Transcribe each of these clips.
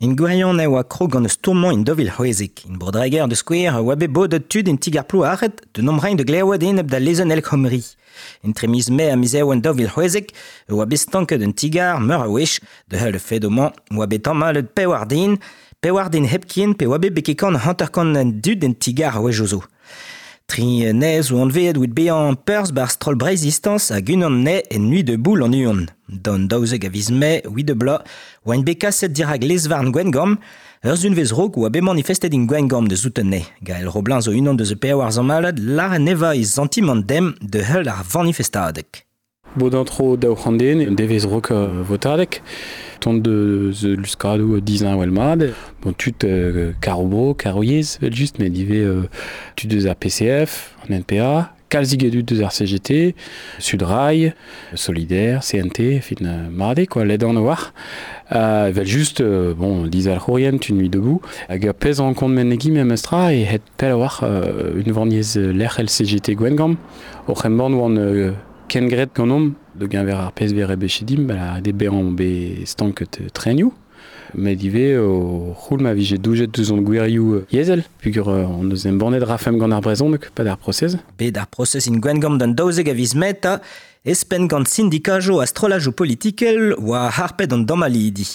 In gwirionez e oa krog gant stourmañ in 2016. In Bro-Dreger da skouer oa bet bodet tud en ti-gar Plouaret d'un omrein de glevet enep da lezenn El Khomri. Entre miz Mae ha miz Ewen 2016 e oa bet stanket un ti-gar meur a wech da heul fed-mañ oa bet tamallet pewar den, pewar den hepken pe oa bet beke kant 50 dud en ti-gar a wech zo. Tri nez oan anveet oud bezañ perzh bar stroll Breizhistance hag unan ne en nuit de boul an uon. D'an 12 a viz Mae, 8 de bloaz, oaint bet kaset dirak lezvarn Gwengamp, ur sunvezh raok oa bet manifestet in Gwengamp da zouten ne. Gael Roblin zo unan deus e pewar zammalad lar neva e sentiment dem de heul ar vanifestadeg. Bodañ tro 200 den, devezh rok votadeg, tont deus luskadoù disheñvel mat, bon tud kar-bro, kar-yezh evel-just, met ivez tud deus ar PCF, an NPA, kalzik a dud deus ar CGT, Sudrail, Solidaire, CNT, fin mat eo quoi, ledan a-walc'h. Evel-just, bon, dizalc'hourien, tud Nuit Debout, hag ur pezh rankont mennegiñ memestra e het pell a-walc'h unvaniezh lec'hel CGT Gwengamp, oc'h embann oant kengred ganeomp da geñver ar pezh vez rebechet dimp, ba ret eo bezañ bet stanket trenioù, met ivez o c'houl ma vije doujet deus hon gwirioù yezhel peogwir hon eus embannet rafemp gant ar brezhoneg 'pad ar prosez. Bet ar prosez int Gwengamp d'an 12 a viz Mae 'ta, espenn gant sindikajoù ha strollajoù politikel oa harpet an damallidi.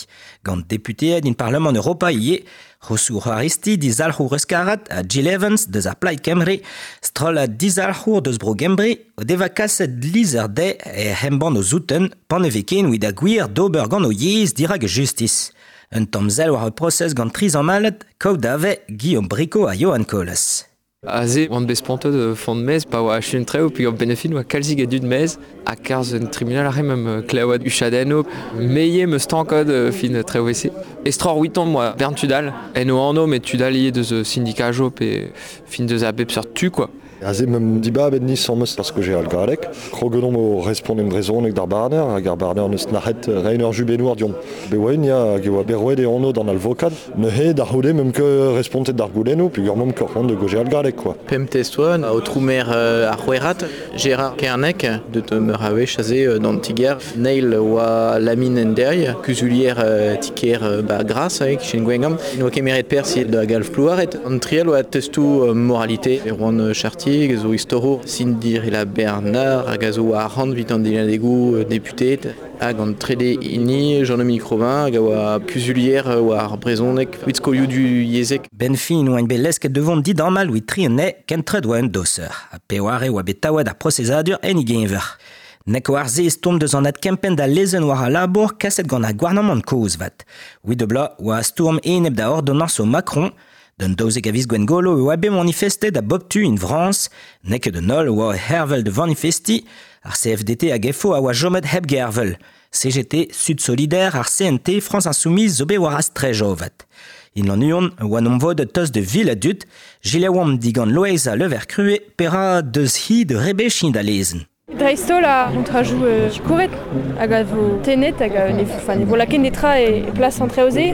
Gant deputeed in Parlamant Europa ivez, Rosour Aristide dizalc'hour euskarat ha Jill Evans deus ar Plaid Kembre, strollad dizalc'hour deus bro Gembre, o deva kaset lizher dezhe ec'h embann o zouten pan e vez ken evit ar gwir d'ober gant o yezh dirak justis. Un tamm sell war ur prosez gant tri zammalad, kaout dave Guillaume Bricaud ha Johan Colas. Aze oan bet spontet font maez pa oa achu an traoù peogwir benn-ar-fin oa kalzik a dud maez ha kerzh un tribunal aze meump klevet huchadennoù. Me ivez 'm eus stanket fin traoù evel-se. Estroc'h 'viton 'moa bern tud all en o anv met tud all ivez deus sindikajoù pe fin deus a bep seurt tu quoi. Aze meump dibabet nisammes parce que j'ai al galleg. Kroget omp o respont en brezhoneg d'ar barner hag ar barner neus nac'het reiñ ur jubennour deomp. Bet oa ya hag e oa bet roet e anv d'an alvokad. Neuze da c'houde meump ket respontet d'ar goulennoù peogwir meump ket c'hoant da gaozeal galleg quoi. Pemp test oa, aotrou maer ar C'houerc'had, Gérard Kernec, deut meur a wech aze d'an ti-kêr. Neil oa Lamine Enderg, kuzulier ti-kêr ba Gras, e-kichen Gwengamp. N'oa kemeret perzh da galv Plouaret. An triel oa testoù moralité. Erwan Chartier zo istorour, Cindy Rilla Bernard hag a zo war arc'hant evit an dilennadegoù deputeed. Hag an trede hini, Jean-Dominique Robin, hag a oa kuzulier war brezhoneg evit skolioù du yezhek. Ben fin oaint bet lesket de vont didamall evit tri anezhe kentret oa un doser. Ha peware oa bet taouet ar prosezadur en e geñver. Nek war se stourm deus an adkempenn da lezenn war al labour kaset gant ar gouarnamant kozh 'vat. 8 bloaz oa stourm enep da ordonnañsoù Macron. D'un 12 a viz Gwengolo e oa bet manifestet a bop tu in Frañs. N'eo ket an holl oa hervel da vanifestiñ. Ar CFDT hag FO a oa chomet hep gervel. CGT, Sud Solidaire, ar CNT, France Insoumise zo bet war astrej avat. In Lannuon oa 'n vodet tost de vil a dud, Gileoamp digant Loeiza Levercrue pera deus hi de rebechiñ da lezenn. Dreist-holl ar c'hontrajoù sikouret hag a vo tennet hag ne, enfin, ne vo lakaet netra e plas an traoù-se.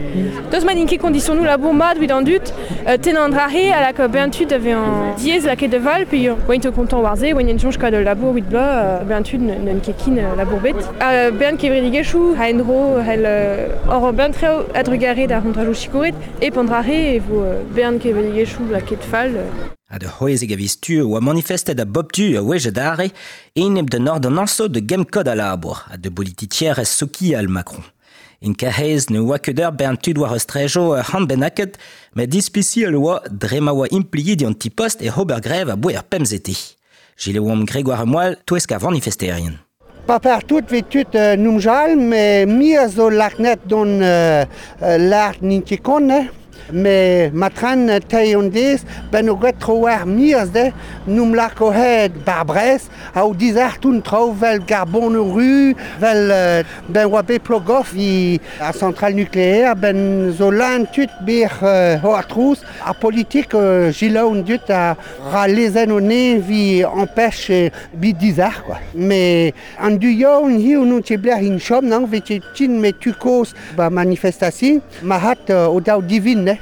Daoust ma n'int ket kondisionoù labour mat evit an dud, tennañ an dra-se a laka bezañ tud da vezañ diaes lakaet da val pe oint o kontañ war se, oint en soñj kaout ul labour evit bloaz, bezañ tud n'ont ket ken labour bet. Ha bern kevredigezhioù a-endro c'hell hor bern traoù a-drugarez d'ar c'hontrajoù sikouret hep an dra-se e vo bern kevredigezhioù lakaet fall. Ha da c'hwezek a viz tu oa manifestet a bop tu a-wech adarre enep d'un ordonnañsoù da gemm kod al labour ha da bolitizerezh sokial Macron. In Karaez ne oa ket ur bern tud war ur ur c'hant bennaket, met ispisial oa dre ma oa impliet an ti-post ec'h ober grev aboe ar pemzete. Gileomp Grégoire Moal touesk ar vanifesterien. Pas partout vez tud numjal, mais mi a zo laknet don lart n'int ket kont, Me matran teir an dez, ben o gwet tro war miaz de, n'oum lako het bar Brest, a o dizartoun traoù vel garbon ru, vel ben oa bet Plogoff vi ar centrale nucléaire, ben zo lan tud bir ho ar trouz, ar politik gilaoun dut a ra lezenn o ne vi empêche bi dizar quoi. Mais an du yaoun hiziv n'on ket blec'h in chom, non, vet ket tin me tu koz ba manifestation, ma hat o daou divin ne.